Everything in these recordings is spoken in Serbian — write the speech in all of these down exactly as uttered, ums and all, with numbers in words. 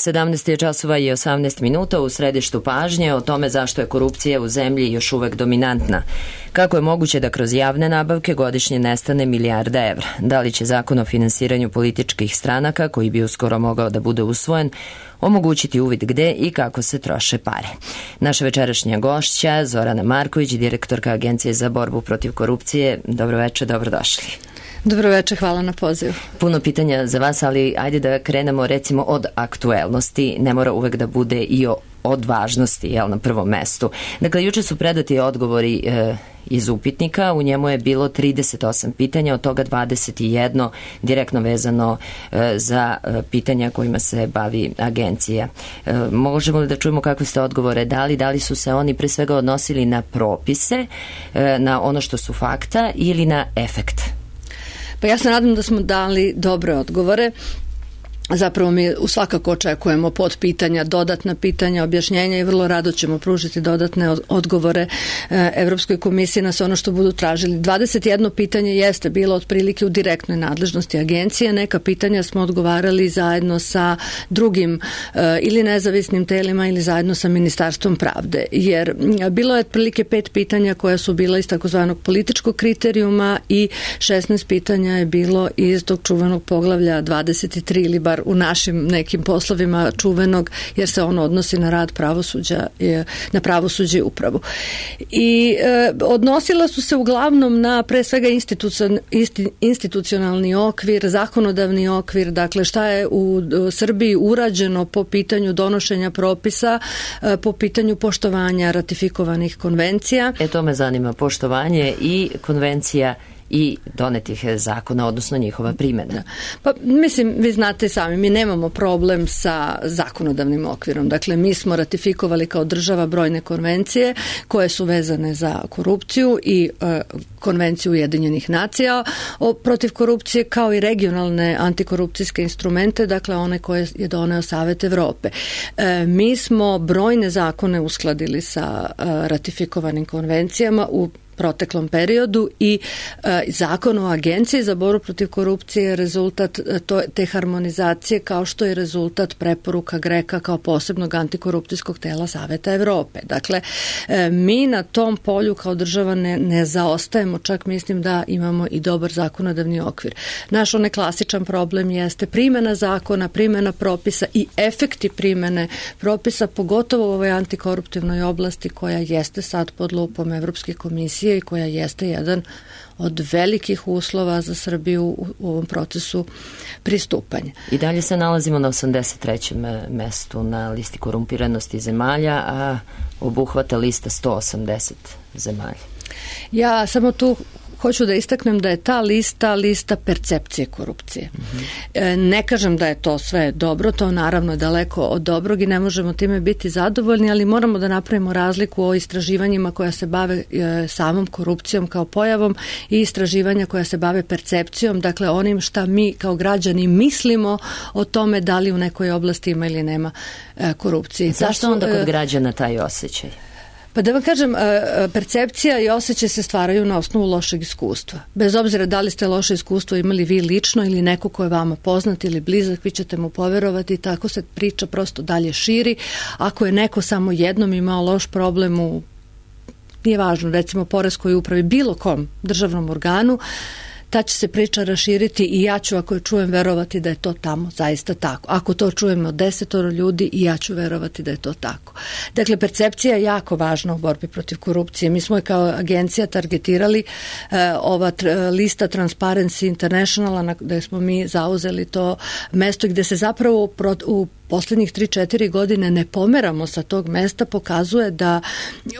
sedamnaest je časova i osamnaest minuta. U središtu pažnje o tome zašto je korupcija u zemlji još uvek dominantna. Kako je moguće da kroz javne nabavke godišnje nestane milijarda evra? Da li će zakon o finansiranju političkih stranaka, koji bi uskoro mogao da bude usvojen, omogućiti uvid gde i kako se troše pare? Naša večerašnja gošća, Zorana Marković, direktorka Agencije za borbu protiv korupcije. Dobro večer, dobrodošli. Dobro večer, hvala na pozivu. Puno pitanja za vas, ali ajde da krenemo recimo od aktuelnosti. Ne mora uvek da bude i o, od važnosti, jel, na prvom mestu. Dakle, juče su predati odgovori e, iz upitnika. U njemu je bilo trideset osam pitanja, od toga dvadeset jedno direktno vezano e, za e, pitanja kojima se bavi agencija. E, možemo li da čujemo kakve ste odgovore dali? Da li su se oni pre svega odnosili na propise, e, na ono što su fakta ili na efekt? Pa ja se nadam da smo dali dobre odgovore. Zapravo mi u svakako očekujemo pod pitanja, dodatna pitanja, objašnjenja i vrlo rado ćemo pružiti dodatne odgovore Evropskoj komisiji na sve ono što budu tražili. dvadeset jedno pitanje jeste bilo otprilike u direktnoj nadležnosti agencije. Neka pitanja smo odgovarali zajedno sa drugim ili nezavisnim telima ili zajedno sa Ministarstvom pravde. Jer bilo je otprilike pet pitanja koja su bila iz takozvanog političkog kriterijuma i šesnaest pitanja je bilo iz tog čuvenog poglavlja dvadeset tri ili bar u našim nekim poslovima čuvenog, jer se ono odnosi na rad pravosuđa, na pravosuđe i upravu. I e, odnosila su se uglavnom na pre svega institucion, institucionalni okvir, zakonodavni okvir, dakle šta je u Srbiji urađeno po pitanju donošenja propisa, e, po pitanju poštovanja ratifikovanih konvencija. E to me zanima, poštovanje i konvencija i donetih zakona, odnosno njihova primjena. Pa mislim, vi znate sami, mi nemamo problem sa zakonodavnim okvirom. Dakle, mi smo ratifikovali kao država brojne konvencije koje su vezane za korupciju i e, konvenciju Ujedinjenih nacija o, protiv korupcije, kao i regionalne antikorupcijske instrumente, dakle one koje je doneo Savet Evrope. E, mi smo brojne zakone uskladili sa e, ratifikovanim konvencijama u proteklom periodu i e, zakon o agenciji za borbu protiv korupcije je rezultat to, te harmonizacije, kao što je rezultat preporuka GREKA kao posebnog antikorupcijskog tela Saveta Evrope. Dakle, e, mi na tom polju kao država ne, ne zaostajemo, čak mislim da imamo i dobar zakonodavni okvir. Naš onaj klasičan problem jeste primjena zakona, primjena propisa i efekti primjene propisa, pogotovo u ovoj antikoruptivnoj oblasti koja jeste sad pod lupom Evropske komisije i koja jeste jedan od velikih uslova za Srbiju u, u ovom procesu pristupanja. I dalje se nalazimo na osamdeset trećem mestu na listi korumpiranosti zemalja, a obuhvata lista sto osamdeset zemalja. Ja samo tu hoću da istaknem da je ta lista lista percepcije korupcije. Mm-hmm. Ne kažem da je to sve dobro, to naravno je daleko od dobrog i ne možemo time biti zadovoljni, ali moramo da napravimo razliku o istraživanjima koja se bave samom korupcijom kao pojavom i istraživanja koja se bave percepcijom, dakle onim šta mi kao građani mislimo o tome da li u nekoj oblasti ima ili nema korupcije. Zašto onda kod građana taj osjećaj? Pa da vam kažem, percepcija i osjećaj se stvaraju na osnovu lošeg iskustva. Bez obzira da li ste loše iskustvo imali vi lično ili neko ko je vama poznat ili blizak, vi ćete mu poverovati i tako se priča prosto dalje širi. Ako je neko samo jednom imao loš problem u, nije važno, recimo poreskoj upravi, bilo kom državnom organu, ta će se priča raširiti i ja ću, ako je čujem, verovati da je to tamo zaista tako. Ako to čujem od desetoro ljudi, i ja ću verovati da je to tako. Dakle, percepcija je jako važna u borbi protiv korupcije. Mi smo je kao agencija targetirali eh, ova tr- lista Transparency Internationala, gde smo mi zauzeli to mesto gde se zapravo pro- u posljednjih tri četiri godine ne pomeramo sa tog mesta, pokazuje da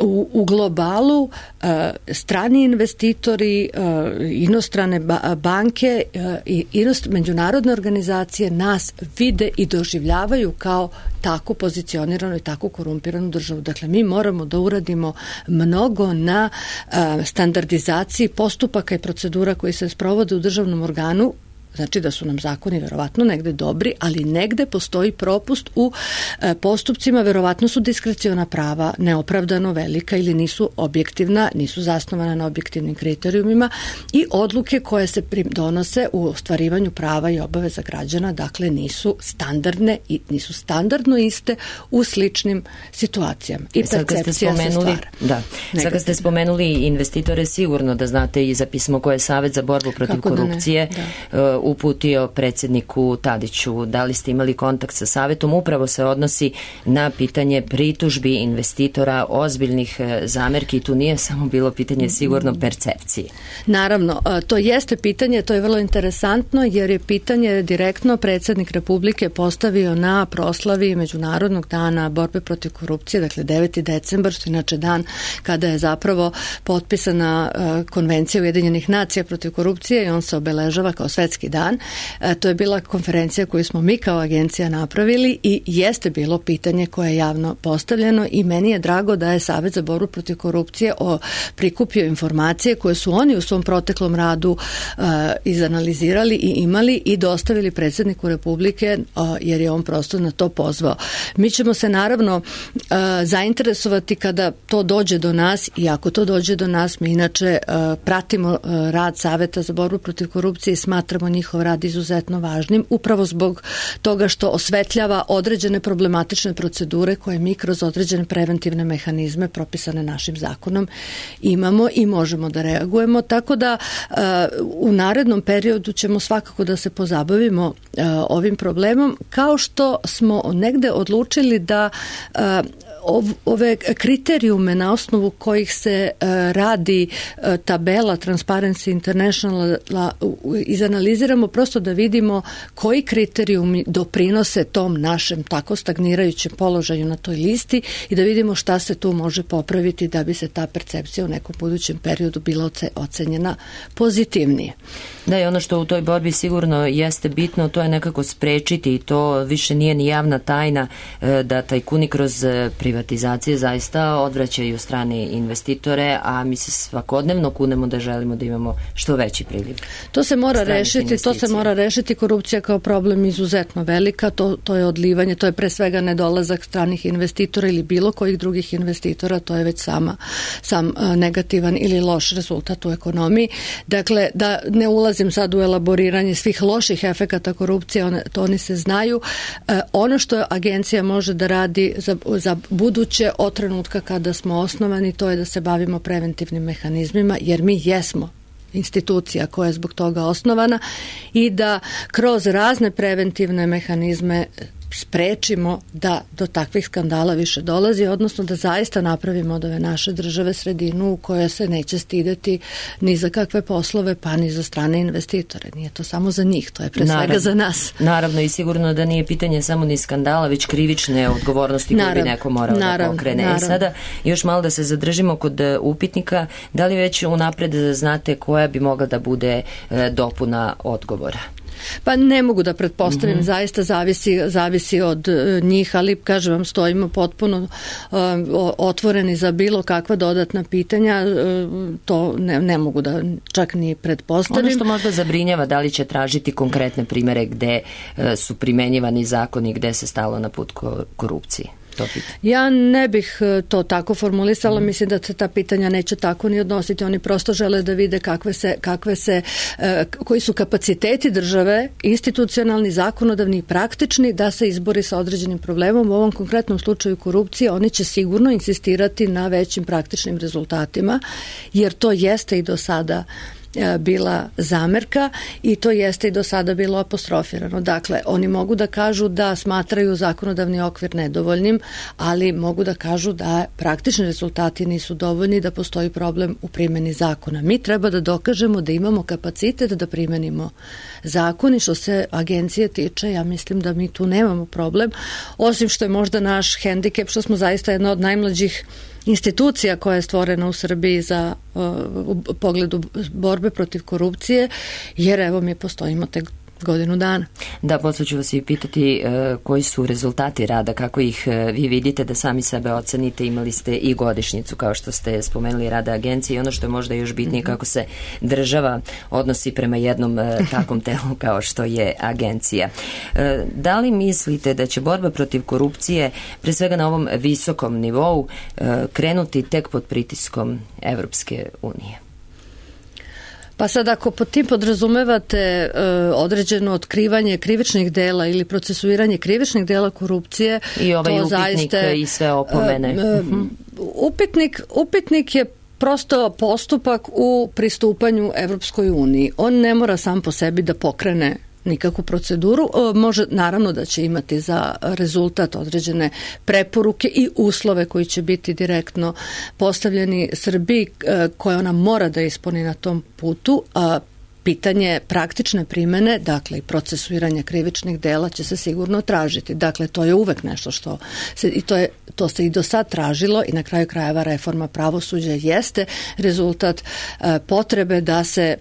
u, u globalu e, strani investitori, e, inostrane ba, banke e, i inost, međunarodne organizacije nas vide i doživljavaju kao tako pozicioniranu i tako korumpiranu državu. Dakle, mi moramo da uradimo mnogo na e, standardizaciji postupaka i procedura koji se sprovode u državnom organu znači da su nam zakoni verovatno negde dobri, ali negde postoji propust u e, postupcima, verovatno su diskreciona prava neopravdano velika ili nisu objektivna, nisu zasnovana na objektivnim kriterijumima i odluke koje se donose u ostvarivanju prava i obaveza građana, dakle nisu standardne i nisu standardno iste u sličnim situacijama. I percepcija se stvara. Da. Sad kad ste spomenuli investitore, sigurno da znate i za pismo koje je Savet za borbu protiv Kako korupcije da da. uputio predsjedniku Tadiću. Da li ste imali kontakt sa Savetom? Upravo se odnosi na pitanje pritužbi investitora, ozbiljnih zamerki. Tu nije samo bilo pitanje sigurno percepcije. Naravno, to jeste pitanje, to je vrlo interesantno jer je pitanje direktno predsjednik Republike postavio na proslavi Međunarodnog dana borbe protiv korupcije, dakle deveti decembar, što inače dan kada je zapravo potpisana konvencija Ujedinjenih nacija protiv korupcije i on se obeležava kao svetski dan. To je bila konferencija koju smo mi kao agencija napravili i jeste bilo pitanje koje je javno postavljeno i meni je drago da je Savet za borbu protiv korupcije o, prikupio informacije koje su oni u svom proteklom radu uh, izanalizirali i imali i dostavili predsjedniku Republike uh, jer je on prosto na to pozvao. Mi ćemo se naravno uh, zainteresovati kada to dođe do nas i ako to dođe do nas, mi inače uh, pratimo uh, rad Saveta za borbu protiv korupcije i smatramo njihov rad izuzetno važnim, upravo zbog toga što osvetljava određene problematične procedure koje mi kroz određene preventivne mehanizme propisane našim zakonom imamo i možemo da reagujemo, tako da uh, u narednom periodu ćemo svakako da se pozabavimo uh, ovim problemom, kao što smo negde odlučili da uh, ove kriterijume na osnovu kojih se uh, radi uh, tabela Transparency International izanaliziramo prosto da vidimo koji kriterijumi doprinose tom našem tako stagnirajućem položaju na toj listi i da vidimo šta se tu može popraviti da bi se ta percepcija u nekom budućem periodu bila ocenjena pozitivnije. Da, i ono što u toj borbi sigurno jeste bitno, to je nekako sprečiti i to više nije ni javna tajna da tajkuni kroz privatizacije zaista odvraćaju strane investitore, a mi se svakodnevno kunemo da želimo da imamo što veći priliv. To se mora rešiti, to se mora rešiti, korupcija kao problem izuzetno velika, to, to je odlivanje, to je pre svega nedolazak stranih investitora ili bilo kojih drugih investitora, to je već sama, sam negativan ili loš rezultat u ekonomiji. Dakle, da ne ulazim sad u elaboriranje svih loših efekata korupcije, one, to oni se znaju. E, ono što agencija može da radi za, za buduće od trenutka kada smo osnovani, to je da se bavimo preventivnim mehanizmima, jer mi jesmo institucija koja je zbog toga osnovana i da kroz razne preventivne mehanizme sprečimo da do takvih skandala više dolazi, odnosno da zaista napravimo od ove naše države sredinu u kojoj se neće stideti ni za kakve poslove, pa ni za strane investitore. Nije to samo za njih, to je pre naravno, svega za nas. Naravno i sigurno da nije pitanje samo ni skandala, već krivične odgovornosti koje bi neko morao naravno, da pokrene. Naravno. I sada još malo da se zadržimo kod upitnika, da li već unapred znate koja bi mogla da bude dopuna odgovora? Pa ne mogu da pretpostavim, mm-hmm. zaista zavisi, zavisi od uh, njih, ali kažem vam, stojimo potpuno uh, otvoreni za bilo kakva dodatna pitanja, uh, to ne, ne mogu da čak ni pretpostavim. Ono što možda zabrinjava, da li će tražiti konkretne primere gde uh, su primenjivani zakoni, gde se stalo na put korupcije? Ja ne bih to tako formulisala, mm. mislim da se ta pitanja neće tako ni odnositi, oni prosto žele da vide kakve se, kakve se, koji su kapaciteti države, institucionalni, zakonodavni i praktični da se izbori sa određenim problemom. U ovom konkretnom slučaju korupcije oni će sigurno insistirati na većim praktičnim rezultatima, jer to jeste i do sada bila zamerka i to jeste i do sada bilo apostrofirano. Dakle, oni mogu da kažu da smatraju zakonodavni okvir nedovoljnim, ali mogu da kažu da praktični rezultati nisu dovoljni, da postoji problem u primjeni zakona. Mi treba da dokažemo da imamo kapacitet da primenimo zakon i što se agencije tiče, ja mislim da mi tu nemamo problem, osim što je možda naš hendikep, što smo zaista jedna od najmlađih institucija koja je stvorena u Srbiji za uh, u pogledu borbe protiv korupcije, jer evo mi postojimo tek godinu dana. Da, posle ću vas i pitati uh, koji su rezultati rada, kako ih uh, vi vidite, da sami sebe ocenite. Imali ste i godišnjicu, kao što ste spomenuli, rada agencije, i ono što je možda još bitnije, kako se država odnosi prema jednom uh, takvom telu kao što je agencija. Uh, da li mislite da će borba protiv korupcije, pre svega na ovom visokom nivou, uh, krenuti tek pod pritiskom Evropske unije? Pa sad, ako pod tim podrazumevate e, određeno otkrivanje krivičnih dela ili procesuiranje krivičnih dela korupcije, i ovaj to upitnik zaista, i sve opomene. E, e, upitnik, upitnik je prosto postupak u pristupanju Evropskoj uniji. On ne mora sam po sebi da pokrene nikakvu proceduru. Može, naravno da će imati za rezultat određene preporuke i uslove koji će biti direktno postavljeni Srbiji, koje ona mora da ispuni na tom putu, a pitanje praktične primene, dakle i procesuiranja krivičnih dela, će se sigurno tražiti. Dakle, to je uvek nešto što se, i to, je, to se i do sad tražilo, i na kraju krajeva reforma pravosuđa jeste rezultat e, potrebe da se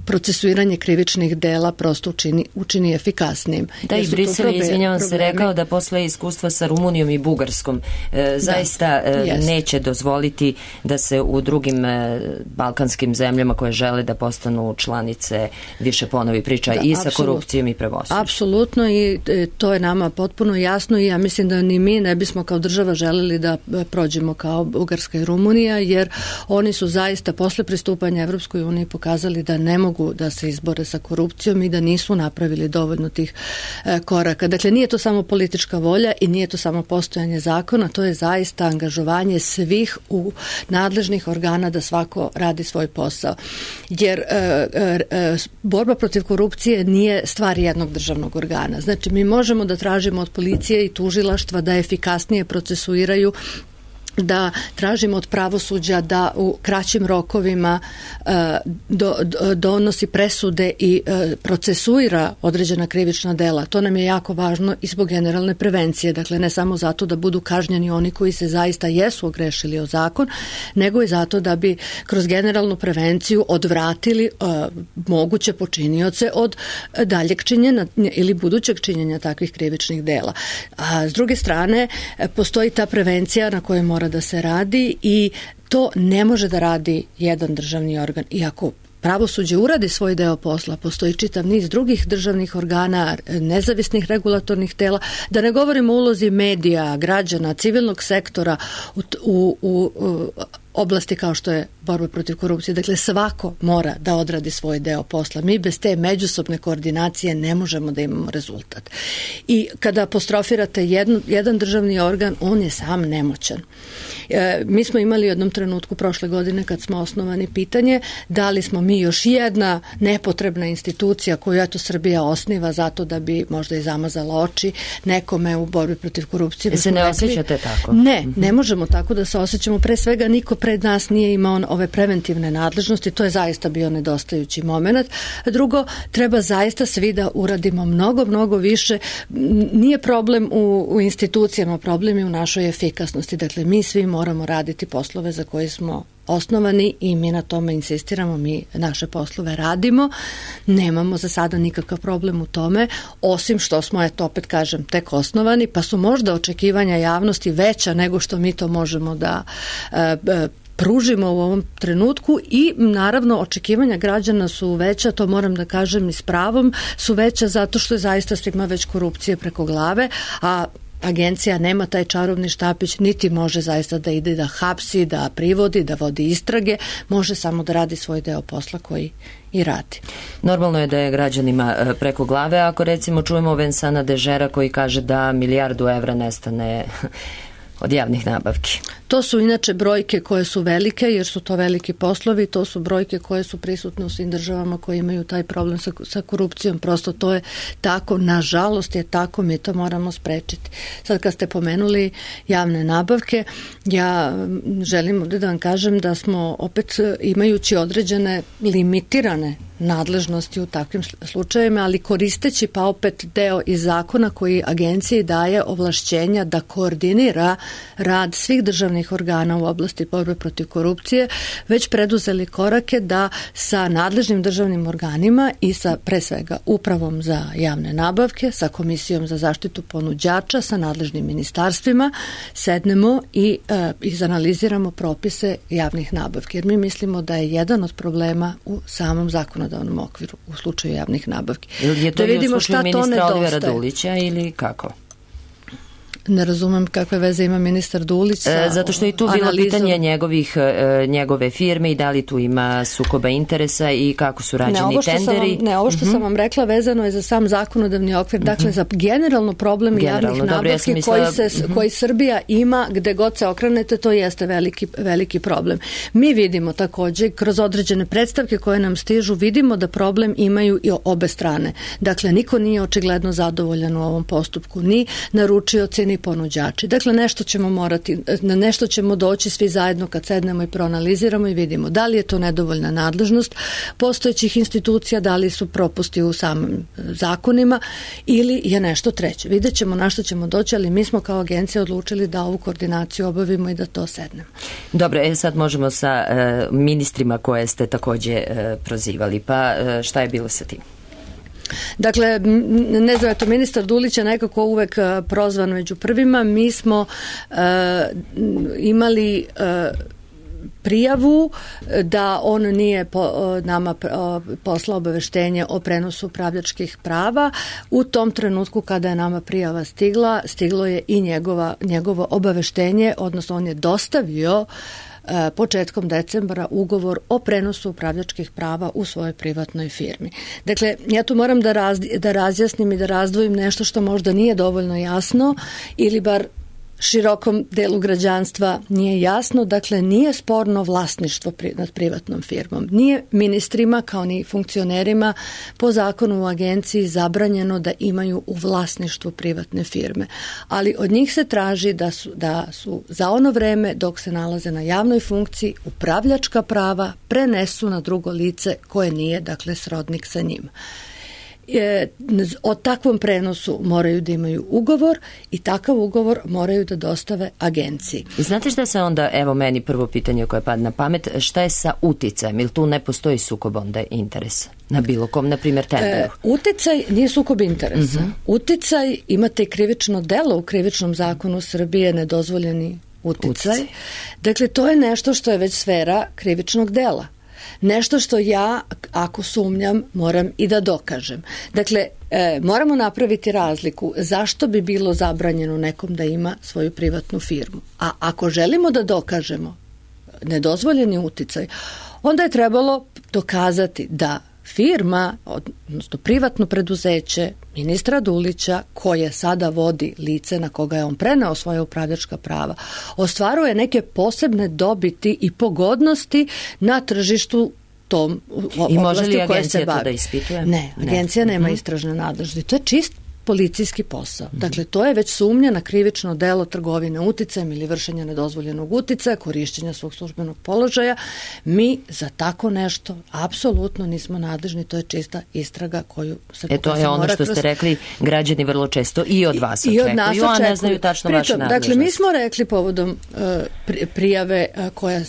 procesuiranje krivičnih dela prosto učini, učini efikasnijim. Da, i Brisel je, izvinjavam se, rekao da posle iskustva sa Rumunijom i Bugarskom e, zaista da, e, neće dozvoliti da se u drugim e, balkanskim zemljama koje žele da postanu članice više ponovi priča da, i sa apsolut, korupcijom i pravosuđem. Apsolutno, i e, to je nama potpuno jasno, i ja mislim da ni mi ne bismo kao država želeli da prođemo kao Bugarska i Rumunija, jer oni su zaista posle pristupanja Evropskoj uniji pokazali da ne mogu da se izbore sa korupcijom i da nisu napravili dovoljno tih e, koraka. Dakle, nije to samo politička volja i nije to samo postojanje zakona, to je zaista angažovanje svih u nadležnih organa da svako radi svoj posao. Jer e, e, borba protiv korupcije nije stvar jednog državnog organa. Znači, mi možemo da tražimo od policije i tužilaštva da efikasnije procesuiraju, da tražimo od pravosuđa da u kraćim rokovima uh, do, do, donosi presude i uh, procesuira određena krivična dela. To nam je jako važno i zbog generalne prevencije. Dakle, ne samo zato da budu kažnjeni oni koji se zaista jesu ogrešili o zakon, nego i zato da bi kroz generalnu prevenciju odvratili uh, moguće počinioce od daljeg činjenja ili budućeg činjenja takvih krivičnih dela. A s druge strane, postoji ta prevencija na kojoj mora da se radi, i to ne može da radi jedan državni organ. Iako pravosuđe uradi svoj deo posla, postoji čitav niz drugih državnih organa, nezavisnih regulatornih tela, da ne govorimo o ulozi medija, građana, civilnog sektora u, u, u, u oblasti kao što je borba protiv korupcije. Dakle, svako mora da odradi svoj deo posla. Mi bez te međusobne koordinacije ne možemo da imamo rezultat. I kada apostrofirate jednu, jedan državni organ, on je sam nemoćan. E, mi smo imali u jednom trenutku prošle godine, kad smo osnovani, pitanje da li smo mi još jedna nepotrebna institucija koju eto Srbija osniva zato da bi možda i zamazala oči nekome u borbi protiv korupcije. E se ne osjećate tako? Ne, ne možemo tako da se osjećamo. Pre svega, niko pred nas nije imao ove preventivne nadležnosti, to je zaista bio nedostajući moment. Drugo, treba zaista svi da uradimo mnogo, mnogo više. Nije problem u, u institucijama, problem je u našoj efikasnosti. Dakle, mi svi moramo raditi poslove za koje smo osnovani i mi na tome insistiramo, mi naše poslove radimo, nemamo za sada nikakav problem u tome, osim što smo, eto opet kažem, tek osnovani, pa su možda očekivanja javnosti veća nego što mi to možemo da e, pružimo u ovom trenutku, i naravno očekivanja građana su veća, to moram da kažem i s pravom, su veća zato što je zaista svima već korupcije preko glave, a agencija nema taj čarobni štapić, niti može zaista da ide da hapsi, da privodi, da vodi istrage, može samo da radi svoj deo posla koji i radi. Normalno je da je građanima preko glave, ako recimo čujemo Vensana Dežera koji kaže da milijardu evra nestane od javnih nabavki. To su inače brojke koje su velike, jer su to veliki poslovi, to su brojke koje su prisutne u svim državama koje imaju taj problem sa, sa korupcijom. Prosto to je tako, nažalost je tako, mi to moramo sprečiti. Sad kad ste pomenuli javne nabavke, ja želim ovdje da vam kažem da smo opet imajući određene limitirane nadležnosti u takvim slučajevima, ali koristeći pa opet deo iz zakona koji agenciji daje ovlašćenja da koordinira rad svih državnih organa u oblasti borbe protiv korupcije, već preduzeli korake da sa nadležnim državnim organima i sa pre svega upravom za javne nabavke, sa Komisijom za zaštitu ponuđača, sa nadležnim ministarstvima sednemo i e, izanaliziramo propise javnih nabavki. Jer mi mislimo da je jedan od problema u samom zakonodavnom okviru u slučaju javnih nabavki. Je to da vidimo šta to nedostaje. Olivera Dulića ili kako? Ne razumem kakve veze ima ministar Dulić sa e, Zato što je tu bilo analizom pitanje njegovih, e, njegove firme i da li tu ima sukoba interesa i kako su rađeni ne, tenderi. Vam, ne, ovo što uh-huh. sam vam rekla vezano je za sam zakonodavni okvir, uh-huh. dakle za generalno problem generalno, javnih nabavki ja mislila, koji, se, uh-huh. koji Srbija ima gde god se okrenete, to jeste veliki, veliki problem. Mi vidimo takođe kroz određene predstavke koje nam stižu, vidimo da problem imaju i obe strane. Dakle, niko nije očigledno zadovoljan u ovom postupku, ni naručioci, ni ponuđači. Dakle, nešto ćemo morati, na nešto ćemo doći svi zajedno kad sednemo i proanaliziramo i vidimo da li je to nedovoljna nadležnost postojećih institucija, da li su propusti u samim zakonima ili je nešto treće. Vidjet ćemo na što ćemo doći, ali mi smo kao agencija odlučili da ovu koordinaciju obavimo i da to sednemo. Dobro, e sad možemo sa e, ministrima koje ste takođe e, prozivali, pa e, šta je bilo sa tim? Dakle, ne znam, eto, ministar Dulić je nekako uvek prozvan među prvima. Mi smo uh, imali uh, prijavu da on nije po, nama poslao obaveštenje o prenosu upravljačkih prava. U tom trenutku kada je nama prijava stigla, stiglo je i njegova, njegovo obaveštenje, odnosno on je dostavio početkom decembra ugovor o prenosu upravljačkih prava u svojoj privatnoj firmi. Dakle, ja tu moram da, raz, da razjasnim i da razdvojim nešto što možda nije dovoljno jasno ili bar širokom delu građanstva nije jasno. Dakle, nije sporno vlasništvo pri, nad privatnom firmom. Nije ministrima kao ni funkcionerima po zakonu u agenciji zabranjeno da imaju u vlasništvu privatne firme. Ali od njih se traži da su, da su za ono vreme dok se nalaze na javnoj funkciji upravljačka prava prenesu na drugo lice koje nije, dakle, srodnik sa njima. Je, o takvom prenosu moraju da imaju ugovor i takav ugovor moraju da dostave agenciji. I znate šta se onda, evo meni prvo pitanje koje pada na pamet, šta je sa uticajem? Ili tu ne postoji sukob onda interesa? Na bilo kom, na primjer, tenderu? E, uticaj nije sukob interesa. Uh-huh. Uticaj, imate i krivično delo u krivičnom zakonu Srbije, nedozvoljeni uticaj. uticaj. Dakle, to je nešto što je već sfera krivičnog dela. Nešto što ja, ako sumnjam, moram i da dokažem. Dakle, e, moramo napraviti razliku zašto bi bilo zabranjeno nekom da ima svoju privatnu firmu. A ako želimo da dokažemo nedozvoljeni uticaj, onda je trebalo dokazati da firma, odnosno privatno preduzeće ministra Dulića, koje sada vodi lice na koga je on preneo svoje upravljačka prava, ostvaruje neke posebne dobiti i pogodnosti na tržištu tom oblasti i može li agencija to da ispituje? Ne, agencija ne. nema istražne nadležnosti. To je čist policijski posao. Dakle, to je već sumnja na krivično delo trgovine uticajem ili vršenja nedozvoljenog uticaja, korišćenja svog službenog položaja. Mi za tako nešto apsolutno nismo nadležni, to je čista istraga koju se E to je ono što kroz... ste rekli, građani vrlo često i od vas očekuju, od nas a ne znaju tačno vaše nadležnosti. Dakle, mi smo rekli povodom uh, prijave uh, koja uh,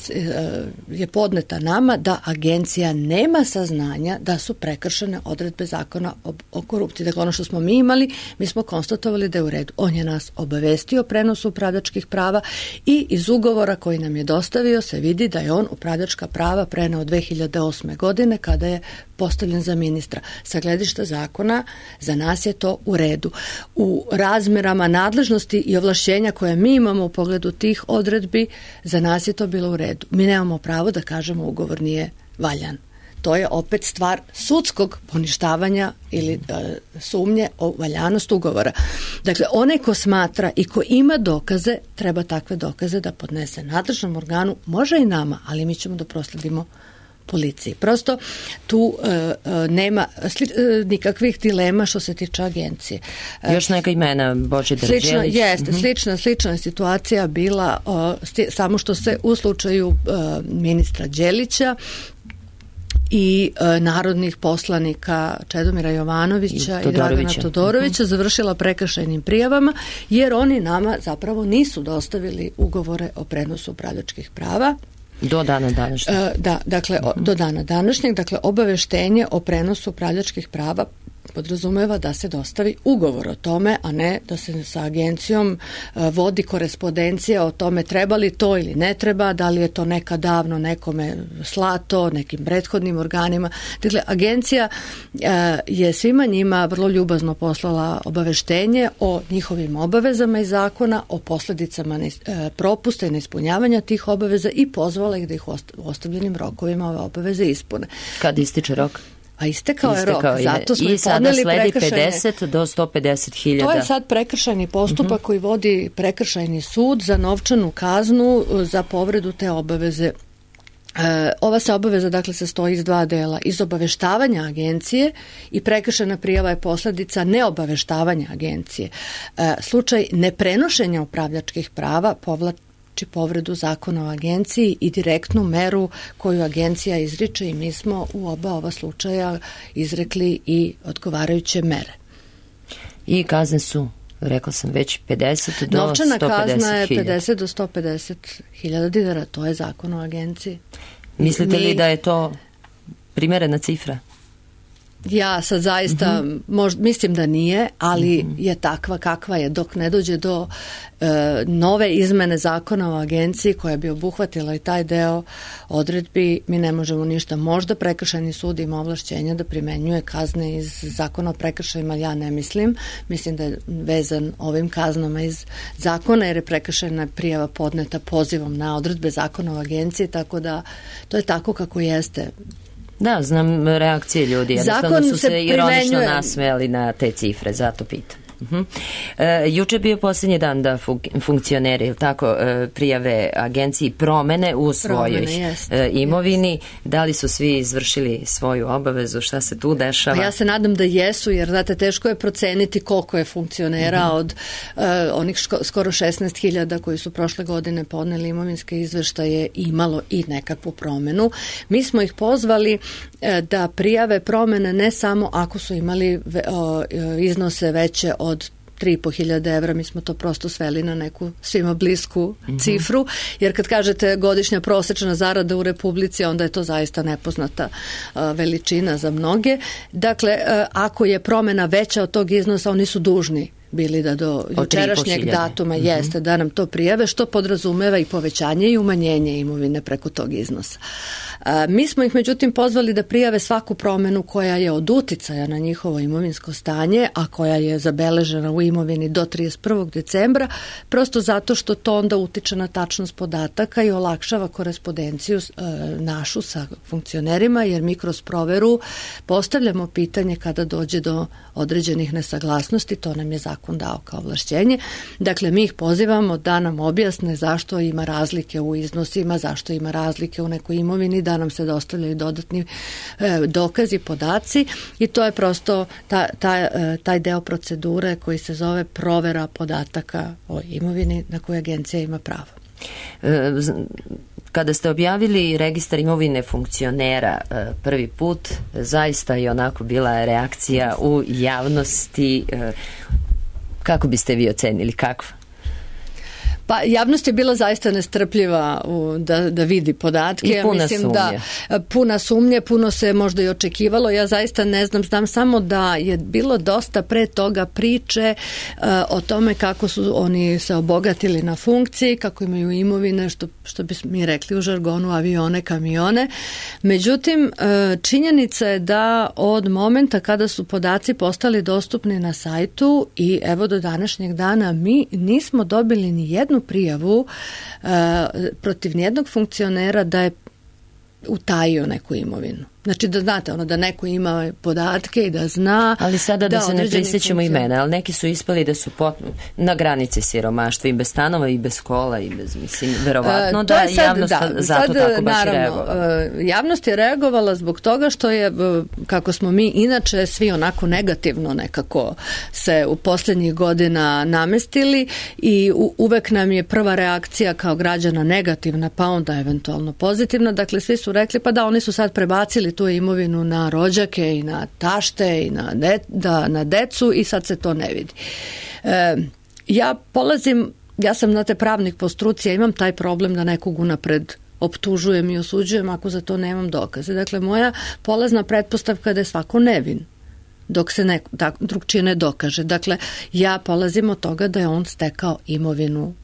je podneta nama da agencija nema saznanja da su prekršene odredbe zakona o, o korupciji. Dakle, ono što smo mi imali, mi smo konstatovali da je u redu. On je nas obavestio o prenosu upravljačkih prava i iz ugovora koji nam je dostavio se vidi da je on upravljačka prava preneo dve hiljade osme godine kada je postavljen za ministra. Sa gledišta zakona za nas je to u redu. U razmerama nadležnosti i ovlašćenja koje mi imamo u pogledu tih odredbi, za nas je to bilo u redu. Mi nemamo pravo da kažemo ugovor nije valjan. To je opet stvar sudskog poništavanja ili e, sumnje o valjanost ugovora. Dakle, onaj ko smatra i ko ima dokaze, treba takve dokaze da podnese nadležnom organu, može i nama, ali mi ćemo da prosledimo policiji. Prosto tu e, e, nema sli, e, nikakvih dilema što se tiče agencije. E, Još neka imena, Božidar Đelić. Jeste, mm-hmm. slična, slična je situacija bila o, sti, samo što se u slučaju e, ministra Đelića i e, narodnih poslanika Čedomira Jovanovića i, i Dragana Todorovića uh-huh. završila prekršajnim prijavama, jer oni nama zapravo nisu dostavili ugovore o prenosu upravljačkih prava. Do dana današnjeg. E, da, dakle, uh-huh. do dana današnjeg, dakle, obaveštenje o prenosu upravljačkih prava podrazumeva da se dostavi ugovor o tome, a ne da se sa agencijom vodi korespondencija o tome treba li to ili ne treba, da li je to nekad davno nekome slato, nekim prethodnim organima. Dakle, agencija je svima njima vrlo ljubazno poslala obaveštenje o njihovim obavezama iz zakona, o posledicama propusta i neispunjavanja tih obaveza i pozvala ih da ih u ostavljenim rokovima ove obaveze ispune. Kad ističe rok? A istekao je rok, zato smo i sada sledi pedeset do sto pedeset hiljada. To je sad prekršajni postupak uh-huh. koji vodi prekršajni sud za novčanu kaznu za povredu te obaveze. E, ova se obaveza dakle sastoji iz dva dela, iz obaveštavanja agencije i prekršajna prijava je posledica neobaveštavanja agencije. E, slučaj neprenošenja upravljačkih prava povlači či povredu zakona o agenciji i direktnu meru koju agencija izriče i mi smo u oba ova slučaja izrekli i odgovarajuće mere. I kazne su, rekla sam već, pedeset do sto pedeset hiljada. Novčana kazna je pedeset do sto pedeset hiljada dinara, to je zakon o agenciji. Mislite li da je to primerena cifra? Ja sad zaista uh-huh. možda, mislim da nije, ali uh-huh. je takva kakva je. Dok ne dođe do e, nove izmene zakona o agenciji koja bi obuhvatila i taj deo odredbi, mi ne možemo ništa. Možda prekršajni sud ima ovlašćenja da primenjuje kazne iz zakona o prekršajima, ja ne mislim. Mislim da je vezan ovim kaznama iz zakona, jer je prekršajna prijava podneta pozivom na odredbe zakona o agenciji, tako da to je tako kako jeste. Da, znam reakcije ljudi, jednostavno su se, se ironično nasmejali na te cifre, zato pitam. Uh-huh. E, juče bio posljednji dan da fun- funkcioneri, tako, e, prijave agenciji promene u svojoj e, imovini. Da li su svi izvršili svoju obavezu? Šta se tu dešava? Pa ja se nadam da jesu, jer znate, teško je proceniti koliko je funkcionera uh-huh. od e, onih ško, skoro šesnaest hiljada koji su prošle godine podneli imovinske izveštaje imalo i nekakvu promenu. Mi smo ih pozvali e, da prijave promene ne samo ako su imali ve, o, iznose veće od od tri i po hiljade evra, mi smo to prosto sveli na neku svima blisku mm-hmm. cifru, jer kad kažete godišnja prosečna zarada u Republici, onda je to zaista nepoznata uh, veličina za mnoge. Dakle, uh, ako je promena veća od tog iznosa, oni su dužni bili da do jučerašnjeg datuma mm-hmm. jeste da nam to prijave, što podrazumeva i povećanje i umanjenje imovine preko tog iznosa. A, mi smo ih međutim pozvali da prijave svaku promenu koja je od uticaja na njihovo imovinsko stanje, a koja je zabeležena u imovini do trideset prvog decembra, prosto zato što to onda utiče na tačnost podataka i olakšava korespondenciju e, našu sa funkcionerima, jer mi kroz proveru postavljamo pitanje kada dođe do određenih nesaglasnosti, to nam je zakon dao kao ovlašćenje. Dakle, mi ih pozivamo da nam objasne zašto ima razlike u iznosima, zašto ima razlike u nekoj imovini, da nam se dostavljaju dodatni e, dokazi, podaci, i to je prosto ta, ta, taj deo procedure koji se zove provera podataka o imovini na koju agencija ima pravo. E, Kada ste objavili registar imovine funkcionera prvi put, zaista je onako bila reakcija u javnosti. Kako biste vi ocenili, kakva? Pa javnost je bila zaista nestrpljiva u, da, da vidi podatke. I puna Mislim sumnje. Da, puna sumnje, puno se možda i očekivalo. Ja zaista ne znam, znam samo da je bilo dosta pre toga priče uh, o tome kako su oni se obogatili na funkciji, kako imaju imovine, što, što bi mi rekli u žargonu, avione, kamione. Međutim, uh, činjenica je da od momenta kada su podaci postali dostupni na sajtu i evo do današnjeg dana mi nismo dobili ni jednu prijavu uh, protiv nijednog funkcionera da je utajio neku imovinu. Znači da znate, ono da neko ima podatke i da zna. Ali sada da, da se ne prisjećamo funkcion... imena, ali neki su ispali da su pot... na granici siromaštva i bez stanova i bez kola i bez, mislim, verovatno uh, da je sad, javnost da, zato sad, tako baš naravno, reagovala. Uh, javnost je reagovala zbog toga što je, uh, kako smo mi inače svi onako negativno nekako se u posljednjih godina namestili i u, uvek nam je prva reakcija kao građana negativna, pa onda eventualno pozitivna. Dakle, svi su rekli, pa da, oni su sad prebacili tu imovinu na rođake i na tašte i na, de, da, na decu i sad se to ne vidi. E, ja polazim, ja sam, znate, pravnik po struci, ja imam taj problem da nekog unapred optužujem i osuđujem ako za to nemam dokaze. Dakle, moja polazna pretpostavka je da je svako nevin dok se neko, tak, drugčije ne dokaže. Dakle, ja polazim od toga da je on stekao imovinu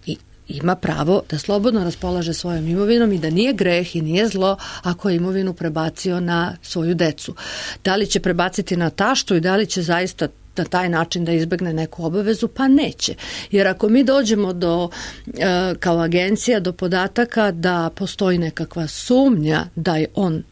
i ima pravo da slobodno raspolaže svojom imovinom i da nije greh i nije zlo ako je imovinu prebacio na svoju decu. Da li će prebaciti na taštu i da li će zaista na taj način da izbegne neku obavezu, pa neće. Jer ako mi dođemo do, e, kao agencija do podataka da postoji nekakva sumnja da je on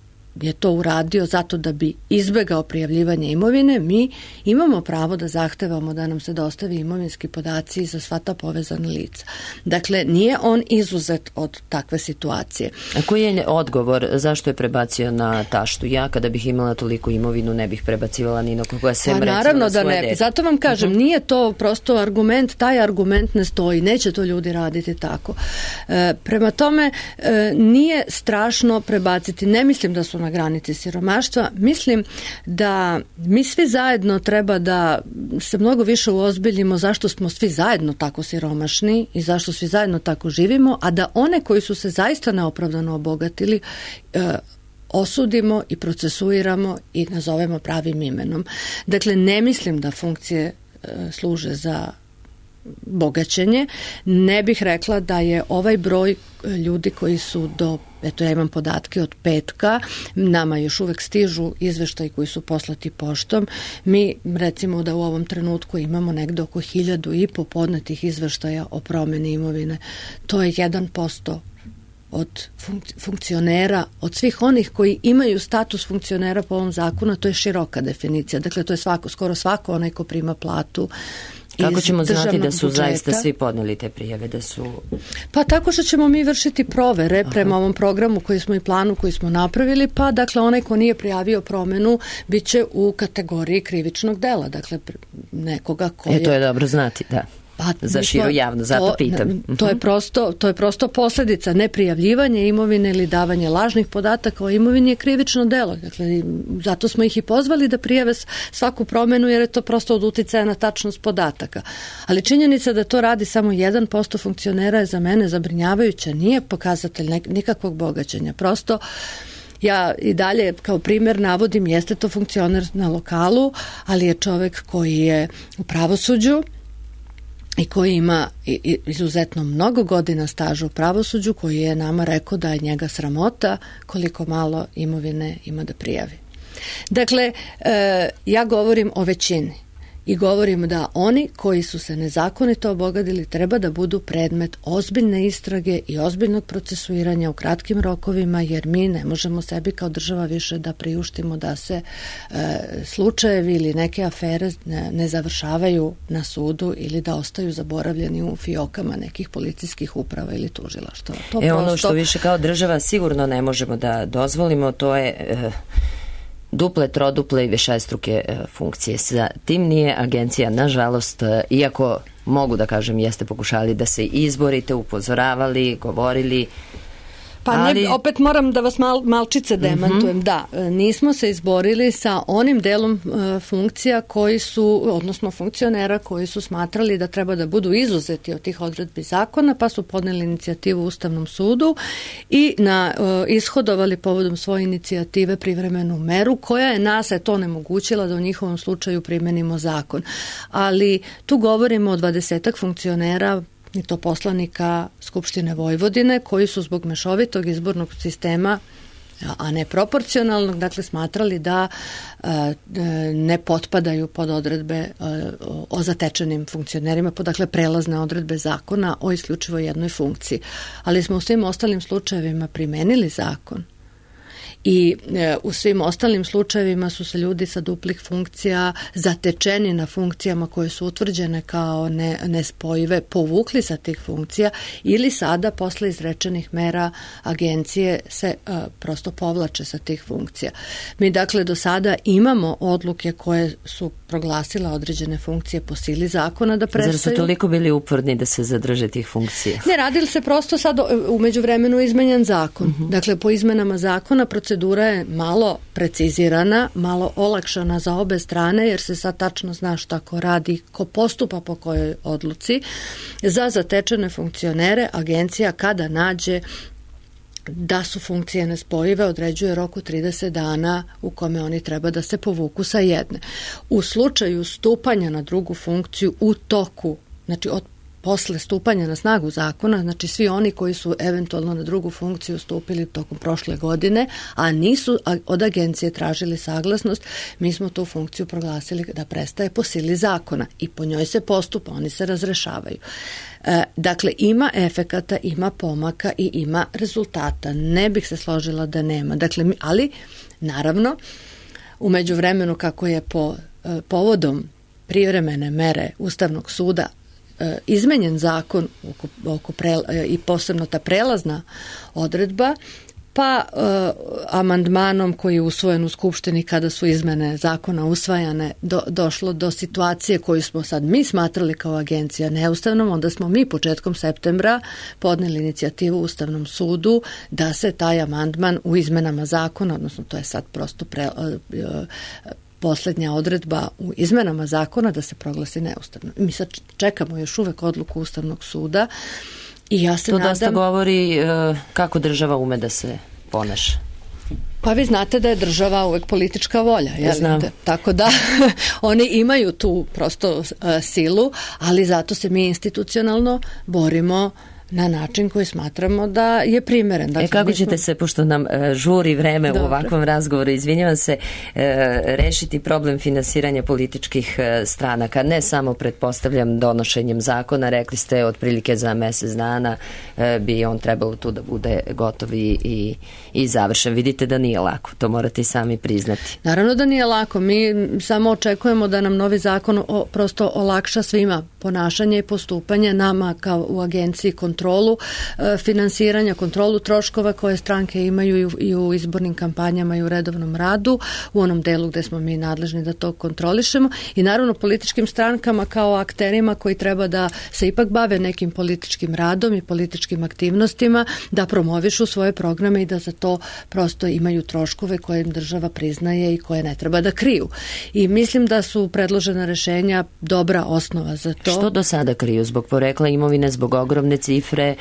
je to uradio zato da bi izbegao prijavljivanje imovine, mi imamo pravo da zahtevamo da nam se dostavi imovinski podaci za sva ta povezana lica. Dakle, nije on izuzet od takve situacije. A koji je odgovor zašto je prebacio na taštu? Ja kada bih imala toliko imovinu ne bih prebacivala ni na koga sem, pa, naravno da ne. Dete. Zato vam kažem, uh-huh. nije to prosto argument, taj argument ne stoji, neće to ljudi raditi tako. E, prema tome, e, nije strašno prebaciti, ne mislim da su na granici siromaštva. Mislim da mi svi zajedno treba da se mnogo više uozbiljimo zašto smo svi zajedno tako siromašni i zašto svi zajedno tako živimo, a da one koji su se zaista neopravdano obogatili e, osudimo i procesuiramo i nazovemo pravim imenom. Dakle, ne mislim da funkcije e, služe za bogaćenje. Ne bih rekla da je ovaj broj ljudi koji su do, eto ja imam podatke od petka, nama još uvek stižu izveštaji koji su poslati poštom. Mi recimo da u ovom trenutku imamo negde oko hiljadu i po podnetih izveštaja o promeni imovine. To je jedan posto od funkcionera, od svih onih koji imaju status funkcionera po ovom zakonu, to je široka definicija. Dakle, to je svako, skoro svako onaj ko prima platu. Kako ćemo znati da su budžeta zaista svi podneli te prijave? Da su... Pa tako što ćemo mi vršiti provere Aha. prema ovom programu koji smo i planu koji smo napravili, pa dakle onaj ko nije prijavio promenu bit će u kategoriji krivičnog dela, dakle nekoga ko je... E, to je dobro znati, da. Pa, za širu javno, zato to, pitam. To je prosto, to je prosto posljedica neprijavljivanje imovine ili davanje lažnih podataka o imovini je krivično delo. Dakle, zato smo ih i pozvali da prijave svaku promenu jer je to prosto od uticaja na tačnost podataka. Ali činjenica da to radi samo jedan posto funkcionera je za mene zabrinjavajuća. Nije pokazatelj nikakvog bogaćenja. Prosto ja i dalje kao primjer navodim, jeste to funkcioner na lokalu, ali je čovek koji je u pravosuđu i koji ima izuzetno mnogo godina staža u pravosuđu, koji je nama rekao da je njega sramota koliko malo imovine ima da prijavi. Dakle, ja govorim o većini i govorim da oni koji su se nezakonito obogadili treba da budu predmet ozbiljne istrage i ozbiljnog procesuiranja u kratkim rokovima, jer mi ne možemo sebi kao država više da priuštimo da se e, slučajevi ili neke afere ne, ne završavaju na sudu ili da ostaju zaboravljeni u fiokama nekih policijskih uprava ili tužilaštva. To e, prosto... ono što više kao država sigurno ne možemo da dozvolimo, to je... E... duple, troduple i višestruke funkcije. Sa tim nije agencija, nažalost, iako mogu da kažem, jeste pokušali da se izborite, upozoravali, govorili. Pa ali... ne, opet moram da vas mal, malčice demantujem. Mm-hmm. Da, nismo se izborili sa onim delom e, funkcija koji su, odnosno funkcionera koji su smatrali da treba da budu izuzeti od tih odredbi zakona, pa su podneli inicijativu Ustavnom sudu i na, e, ishodovali povodom svoje inicijative privremenu meru koja je nas je to onemogućila da u njihovom slučaju primenimo zakon. Ali tu govorimo o dvadesetak funkcionera i to poslanika Skupštine Vojvodine koji su zbog mešovitog izbornog sistema, a ne proporcionalnog, dakle smatrali da e, ne potpadaju pod odredbe e, o zatečenim funkcionerima, pod dakle prelazne odredbe zakona o isključivo jednoj funkciji. Ali smo u svim ostalim slučajevima primenili zakon. I e, u svim ostalim slučajevima su se ljudi sa duplih funkcija zatečeni na funkcijama koje su utvrđene kao ne, nespojive povukli sa tih funkcija ili sada posle izrečenih mera agencije se e, prosto povlače sa tih funkcija. Mi dakle do sada imamo odluke koje su proglasila određene funkcije po sili zakona da prestaju. Zar su toliko bili uporni da se zadrže tih funkcija? Ne, radili se prosto sad u međuvremenu izmenjen zakon. Uh-huh. Dakle, po izmenama zakona proces procedura je malo precizirana, malo olakšana za obe strane, jer se sad tačno zna šta ko radi, ko postupa po kojoj odluci. Za zatečene funkcionere agencija kada nađe da su funkcije nespojive, određuje rok u trideset dana u kome oni treba da se povuku sa jedne. U slučaju stupanja na drugu funkciju u toku, znači od posle stupanja na snagu zakona, znači svi oni koji su eventualno na drugu funkciju stupili tokom prošle godine, a nisu od agencije tražili saglasnost, mi smo tu funkciju proglasili da prestaje po sili zakona i po njoj se postupa, oni se razrešavaju. E, dakle, ima efekata, ima pomaka i ima rezultata. Ne bih se složila da nema. Dakle, ali, naravno, u međuvremenu kako je po e, povodom privremene mere Ustavnog suda izmenjen zakon oko, oko pre, i posebno ta prelazna odredba, pa e, amandmanom koji je usvojen u Skupštini kada su izmene zakona usvajane do, došlo do situacije koju smo sad mi smatrali kao agencija neustavnom, onda smo mi početkom septembra podneli inicijativu Ustavnom sudu da se taj amandman u izmenama zakona, odnosno to je sad prosto pre, e, poslednja odredba u izmenama zakona da se proglasi neustavno. Mi sad čekamo još uvek odluku Ustavnog suda i ja se to nadam... To dosta govori uh, kako država ume da se ponaša. Pa vi znate da je država uvek politička volja. Ja znam. Tako da oni imaju tu prosto uh, silu, ali zato se mi institucionalno borimo na način koji smatramo da je primeren. Dakle, e kako smo... ćete se, pošto nam e, žuri vreme Dobre. u ovakvom razgovoru, izvinjavam se, e, rešiti problem finansiranja političkih e, stranaka, ne samo pretpostavljam donošenjem zakona, rekli ste otprilike za mesec dana e, bi on trebalo tu da bude gotov i, i, i završen. Vidite da nije lako, to morate i sami priznati. Naravno da nije lako, mi samo očekujemo da nam novi zakon o, prosto olakša svima ponašanje i postupanje, nama kao u agenciji kontrolu e, finansiranja, kontrolu troškova koje stranke imaju i u, i u izbornim kampanjama i u redovnom radu, u onom delu gde smo mi nadležni da to kontrolišemo i naravno političkim strankama kao akterima koji treba da se ipak bave nekim političkim radom i političkim aktivnostima, da promovišu svoje programe i da za to prosto imaju troškove koje im država priznaje i koje ne treba da kriju. I mislim da su predložena rešenja dobra osnova za to. Što do sada kriju? Zbog porekla imovine, zbog ogromne cifre,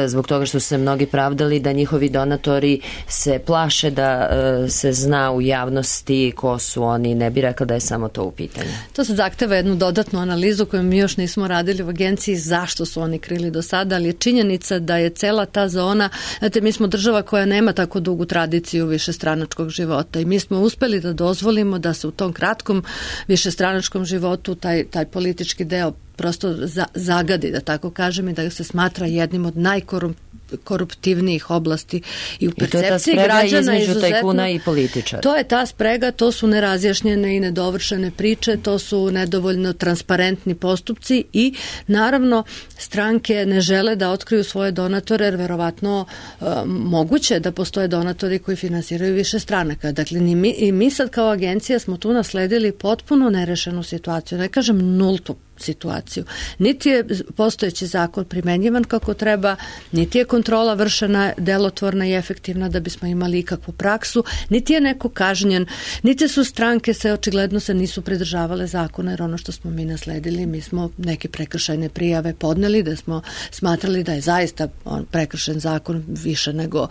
zbog toga što su se mnogi pravdali da njihovi donatori se plaše da se zna u javnosti ko su oni, ne bi rekla da je samo to u pitanju. To se zahteva jednu dodatnu analizu koju mi još nismo radili u agenciji zašto su oni krili do sada, ali je činjenica da je cela ta zona, znate, mi smo država koja nema tako dugu tradiciju višestranačkog života i mi smo uspeli da dozvolimo da se u tom kratkom višestranačkom životu taj, taj politički deo prosto za, zagadi, da tako kažem, i da se smatra jednim od najkoruptivnijih oblasti i u percepciji građana. I to je ta sprega između tajkuna i političara. To je ta sprega, to su nerazjašnjene i nedovršene priče, to su nedovoljno transparentni postupci i naravno stranke ne žele da otkriju svoje donatore, jer verovatno uh, moguće da postoje donatori koji finansiraju više stranaka. Dakle, ni mi, i mi sad kao agencija smo tu nasledili potpuno nerešenu situaciju, ne kažem nultu situaciju. Niti je postojeći zakon primenjivan kako treba, niti je kontrola vršena delotvorna i efektivna da bismo imali ikakvu praksu, niti je neko kažnjen, niti su stranke se očigledno se nisu pridržavale zakona, jer ono što smo mi nasledili, mi smo neke prekršajne prijave podneli da smo smatrali da je zaista on prekršen zakon više nego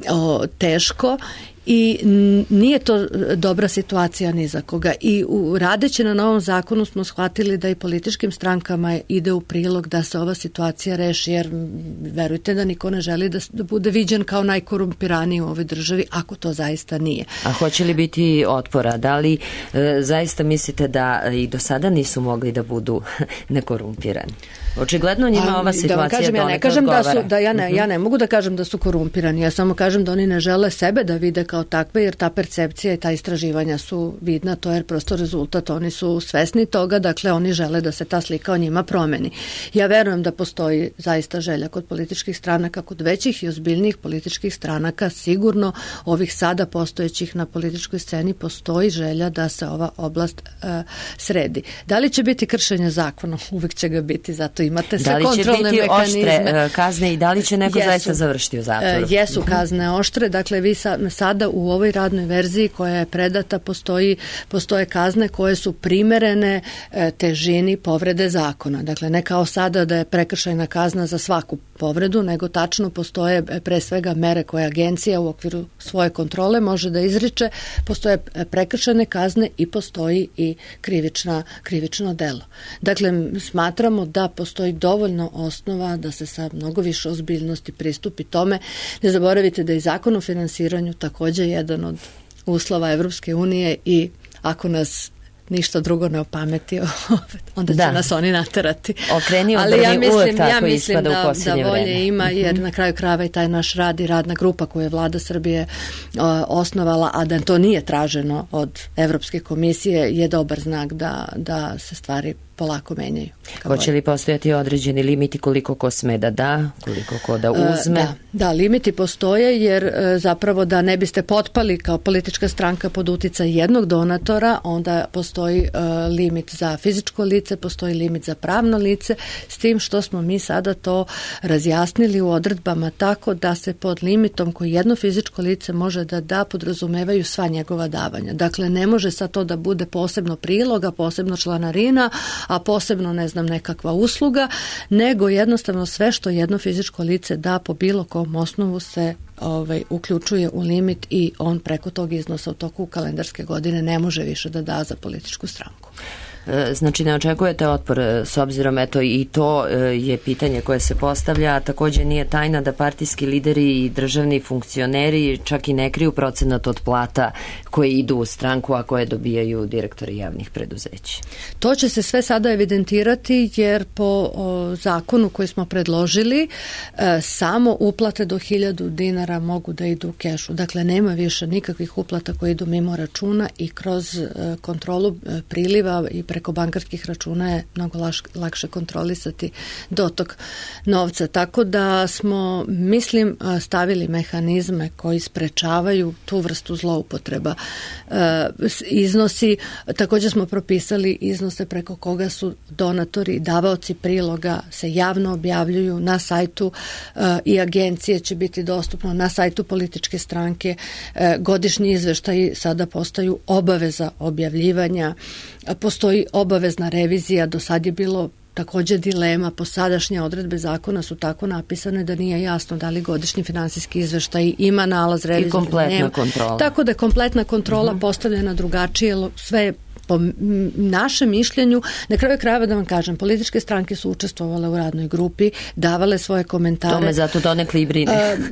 o, teško i nije to dobra situacija ni za koga. I u, radeći na novom zakonu smo shvatili da i političkim strankama ide u prilog da se ova situacija reši, jer verujte da niko ne želi da, da bude viđen kao najkorumpiraniji u ovoj državi, ako to zaista nije. A hoće li biti otpora? Da li e, zaista mislite da i do sada nisu mogli da budu nekorumpirani? Očigledno njima ova situacija kažem, ja ne kažem da su, da ja ne, uh-huh. ja ne mogu da kažem da su korumpirani, ja samo kažem da oni ne žele sebe da vide kao takve, jer ta percepcija i ta istraživanja su vidna, to je prosto rezultat, oni su svesni toga, dakle oni žele da se ta slika o njima promeni. Ja verujem da postoji zaista želja kod političkih stranaka, kod većih i ozbiljnijih političkih stranaka, sigurno ovih sada postojećih na političkoj sceni postoji želja da se ova oblast uh, sredi. Da li će biti kršenje zakona? Uvek će ga biti, zato Dakle, imate sve kontrolne mehanizme. Da li će biti oštre kazne i da li će neko jesu, zaista završiti u zatvoru? Jesu kazne oštre. Dakle, vi sa, sada u ovoj radnoj verziji koja je predata postoji, postoje kazne koje su primerene težini povrede zakona. Dakle, ne kao sada da je prekršajna kazna za svaku povredu, nego tačno postoje pre svega mere koje agencija u okviru svoje kontrole može da izriče, postoje prekršajne kazne i postoji i krivična, krivično delo. Dakle, smatramo da postoji dovoljno osnova da se sa mnogo više ozbiljnosti pristupi tome. Ne zaboravite da je zakon o finansiranju također jedan od uslova Evropske unije i ako nas ništa drugo ne opameti, onda će da. nas oni naterati. Okreni ali ja mislim, ja mislim da, da volje vreme. ima, jer na kraju krajeva i taj naš rad i radna grupa koju je vlada Srbije o, osnovala, a da to nije traženo od Evropske komisije, je dobar znak da, da se stvari polako menjaju. Hoće li postojati određeni limiti koliko ko sme da da, koliko ko da uzme? Da, da, limiti postoje jer zapravo da ne biste potpali kao politička stranka pod uticaj jednog donatora, onda postoji limit za fizičko lice, postoji limit za pravno lice, s tim što smo mi sada to razjasnili u odredbama tako da se pod limitom koji jedno fizičko lice može da da podrazumevaju sva njegova davanja. Dakle, ne može sad to da bude posebno priloga, posebno članarina, a posebno, ne znam, nekakva usluga, nego jednostavno sve što jedno fizičko lice da po bilo kom osnovu se ovaj, uključuje u limit i on preko tog iznosa u toku kalendarske godine ne može više da da za političku stranku. Znači ne očekujete otpor s obzirom, eto i to je pitanje koje se postavlja, a također nije tajna da partijski lideri i državni funkcioneri čak i ne kriju procenat od plata koje idu u stranku, a koje dobijaju direktori javnih preduzeća. To će se sve sada evidentirati jer po o, zakonu koji smo predložili e, samo uplate do hiljadu dinara mogu da idu u kešu. Dakle, nema više nikakvih uplata koje idu mimo računa i kroz e, kontrolu e, priliva i preko bankarskih računa je mnogo laš, lakše kontrolisati dotok novca. Tako da smo, mislim, stavili mehanizme koji sprečavaju tu vrstu zloupotreba. E, iznosi, također smo propisali iznose preko koga su donatori, davaoci priloga se javno objavljuju na sajtu e, i agencije će biti dostupno na sajtu političke stranke. E, godišnji izveštaji sada postaju obaveza objavljivanja. Postoji obavezna revizija, do sad je bilo također dilema, po sadašnje odredbe zakona su tako napisane da nije jasno da li godišnji finansijski izveštaj ima nalaz revizije. I kompletna kontrola. Tako da je kompletna kontrola uh-huh. postavljena drugačije, sve je po našem mišljenju, na kraju krajeva da vam kažem, političke stranke su učestvovale u radnoj grupi, davale svoje komentare. To me zato donekle i brine. Uh,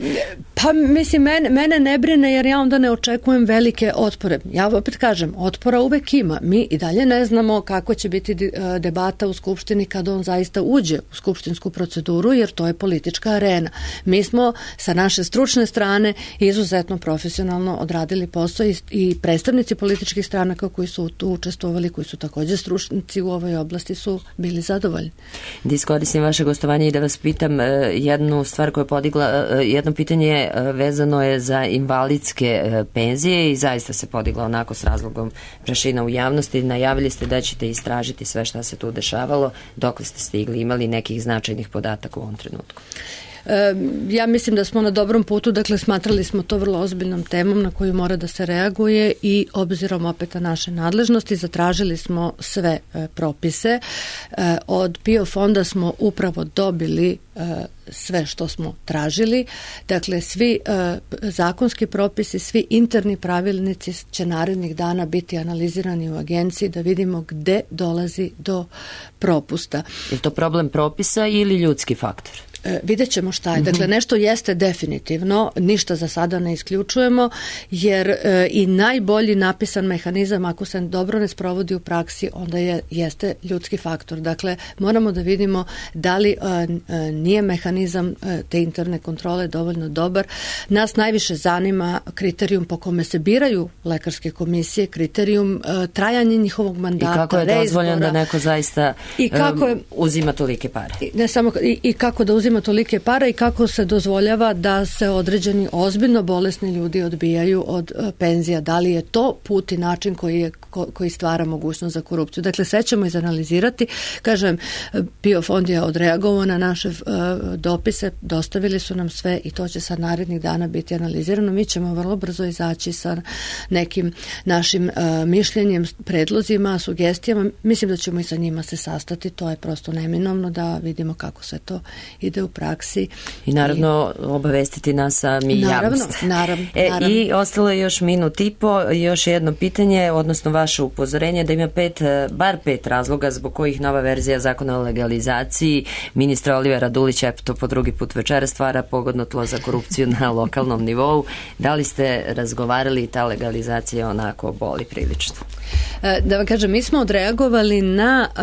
pa mislim, mene, mene ne brine jer ja onda ne očekujem velike otpore. Ja opet kažem, otpora uvek ima. Mi i dalje ne znamo kako će biti debata u Skupštini kada on zaista uđe u skupštinsku proceduru, jer to je politička arena. Mi smo sa naše stručne strane izuzetno profesionalno odradili posao i, i predstavnici političkih stranaka koji su tu učestvovali, koji su također stručnici u ovoj oblasti, su bili zadovoljni. Da iskoristim vaše gostovanje i da vas pitam jednu stvar koja je podigla, jedno pitanje vezano je za invalidske penzije i zaista se podigla onako s razlogom prašina u javnosti. Najavili ste da ćete istražiti sve šta se tu dešavalo. Dokle ste stigli? Imali nekih značajnih podataka u ovom trenutku? Ja mislim da smo na dobrom putu, dakle smatrali smo to vrlo ozbiljnom temom na koju mora da se reaguje i obzirom opet na naše nadležnosti zatražili smo sve e, propise. E, od P I O fonda smo upravo dobili e, sve što smo tražili. Dakle, svi e, zakonski propisi, svi interni pravilnici će narednih dana biti analizirani u agenciji da vidimo gde dolazi do propusta. Je to problem propisa ili ljudski faktor? E, vidjet ćemo šta je. Dakle, nešto jeste definitivno, ništa za sada ne isključujemo, jer e, i najbolji napisan mehanizam, ako se dobro ne sprovodi u praksi, onda je, jeste ljudski faktor. Dakle, moramo da vidimo da li e, e, nije mehanizam e, te interne kontrole dovoljno dobar. Nas najviše zanima kriterijum po kome se biraju lekarske komisije, kriterijum e, trajanje njihovog mandata, i kako je dozvoljeno da neko zaista i kako je, um, uzima tolike pare. I, ne samo, i, i kako da uzima uzima tolike pare i kako se dozvoljava da se određeni ozbiljno bolesni ljudi odbijaju od penzija. Da li je to put i način koji, je, ko, koji stvara mogućnost za korupciju? Dakle, sve ćemo izanalizirati. Kažem, PIO fond je odreagovao na naše uh, dopise, dostavili su nam sve i to će sad narednih dana biti analizirano. Mi ćemo vrlo brzo izaći sa nekim našim uh, mišljenjem, predlozima, sugestijama. Mislim da ćemo i sa njima se sastati. To je prosto neminovno da vidimo kako sve to ide u praksi. I naravno I, obavestiti nas, a mi naravno, javnost. Naravno, e, naravno. I ostalo je još minut i po, još jedno pitanje, odnosno vaše upozorenje da ima pet, bar pet razloga zbog kojih nova verzija zakona o legalizaciji ministra Olivera Dulića, eto to po drugi put večera, stvara pogodno tlo za korupciju na lokalnom nivou. Da li ste razgovarali, ta legalizacija onako boli prilično? Da vam kažem, mi smo odreagovali na uh,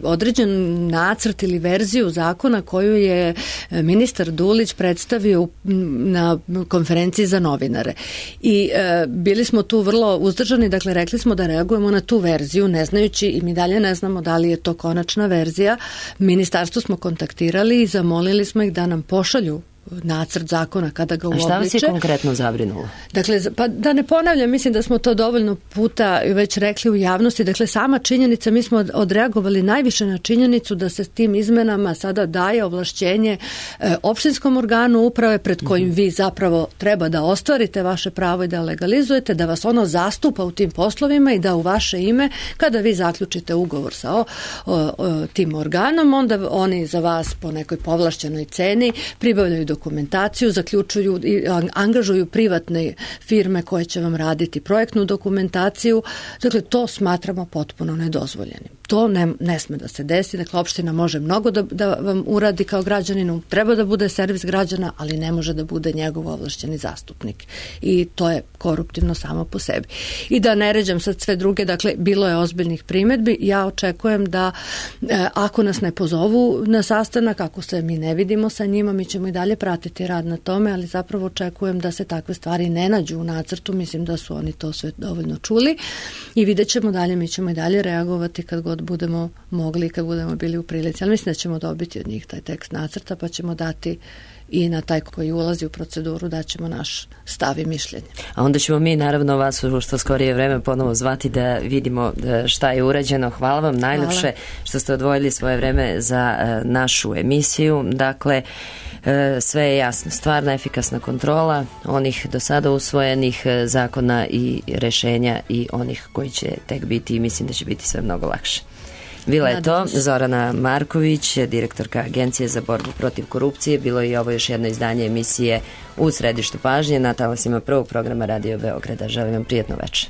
određen nacrt ili verziju zakona koju je ministar Dulić predstavio na konferenciji za novinare. I uh, bili smo tu vrlo uzdržani, dakle rekli smo da reagujemo na tu verziju, ne znajući i mi dalje ne znamo da li je to konačna verzija. Ministarstvo smo kontaktirali i zamolili smo ih da nam pošalju nacrt zakona kada ga uobliče. A šta vas je konkretno zabrinulo? Dakle, pa da ne ponavljam, mislim da smo to dovoljno puta već rekli u javnosti. Dakle, sama činjenica, mi smo odreagovali najviše na činjenicu da se s tim izmenama sada daje ovlašćenje e, opštinskom organu uprave pred kojim mm-hmm. vi zapravo treba da ostvarite vaše pravo i da legalizujete, da vas ono zastupa u tim poslovima i da u vaše ime, kada vi zaključite ugovor sa o, o, o, tim organom, onda oni za vas po nekoj povlašćenoj ceni pribavljaju dokumentaciju, zaključuju i angažuju privatne firme koje će vam raditi projektnu dokumentaciju. Dakle, to smatramo potpuno nedozvoljenim. To ne, ne sme da se desi. Dakle, opština može mnogo da, da vam uradi kao građaninu, treba da bude servis građana, ali ne može da bude njegov ovlašćeni zastupnik. I to je koruptivno samo po sebi. I da ne ređam sad sve druge, dakle, bilo je ozbiljnih primedbi. Ja očekujem da e, ako nas ne pozovu na sastanak, ako se mi ne vidimo sa njima, mi ćemo i dalje pratiti rad na tome, ali zapravo očekujem da se takve stvari ne nađu u nacrtu. Mislim da su oni to sve dovoljno čuli i vidjet ćemo dalje, mi ćemo i dalje reagovati kad god budemo mogli, kad budemo bili u prilici. Ali mislim da ćemo dobiti od njih taj tekst nacrta, pa ćemo dati i na taj koji ulazi u proceduru da ćemo naš stav i mišljenje. A onda ćemo mi naravno vas u što skorije vreme ponovo zvati da vidimo šta je urađeno. Hvala vam najlepše Hvala. Što ste odvojili svoje vreme za našu emisiju. Dakle, sve je jasno. Stvarna efikasna kontrola onih do sada usvojenih zakona i rešenja i onih koji će tek biti i mislim da će biti sve mnogo lakše. Bila je to Zorana Marković, direktorka Agencije za borbu protiv korupcije. Bilo je i ovo još jedno izdanje emisije U središtu pažnje na talasima prvog programa Radio Beograda. Želim vam prijatno večer.